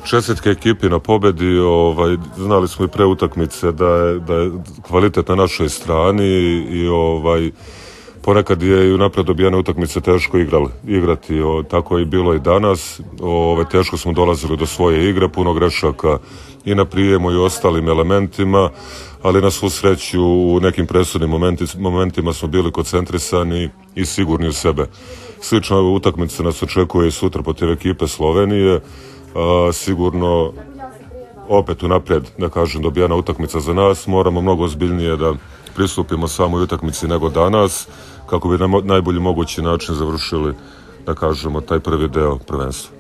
Čestitke ekipi na pobedi, znali smo i pre utakmice da je kvalitet na našoj strani i ponekad je i unapred dobijene utakmice teško igrati, tako je bilo i danas. Teško smo dolazili do svoje igre, puno grešaka i na prijemu i ostalim elementima, ali na svu sreću u nekim presudnim momentima smo bili koncentrisani i sigurni u sebe. Slično ove utakmice nas očekuje i sutra protiv ekipe Slovenije. Sigurno opet unaprijed, da kažem, dobijena utakmica za nas. Moramo mnogo ozbiljnije da pristupimo samoj utakmici nego danas, kako bi na najbolji mogući način završili, da kažemo, taj prvi deo prvenstva.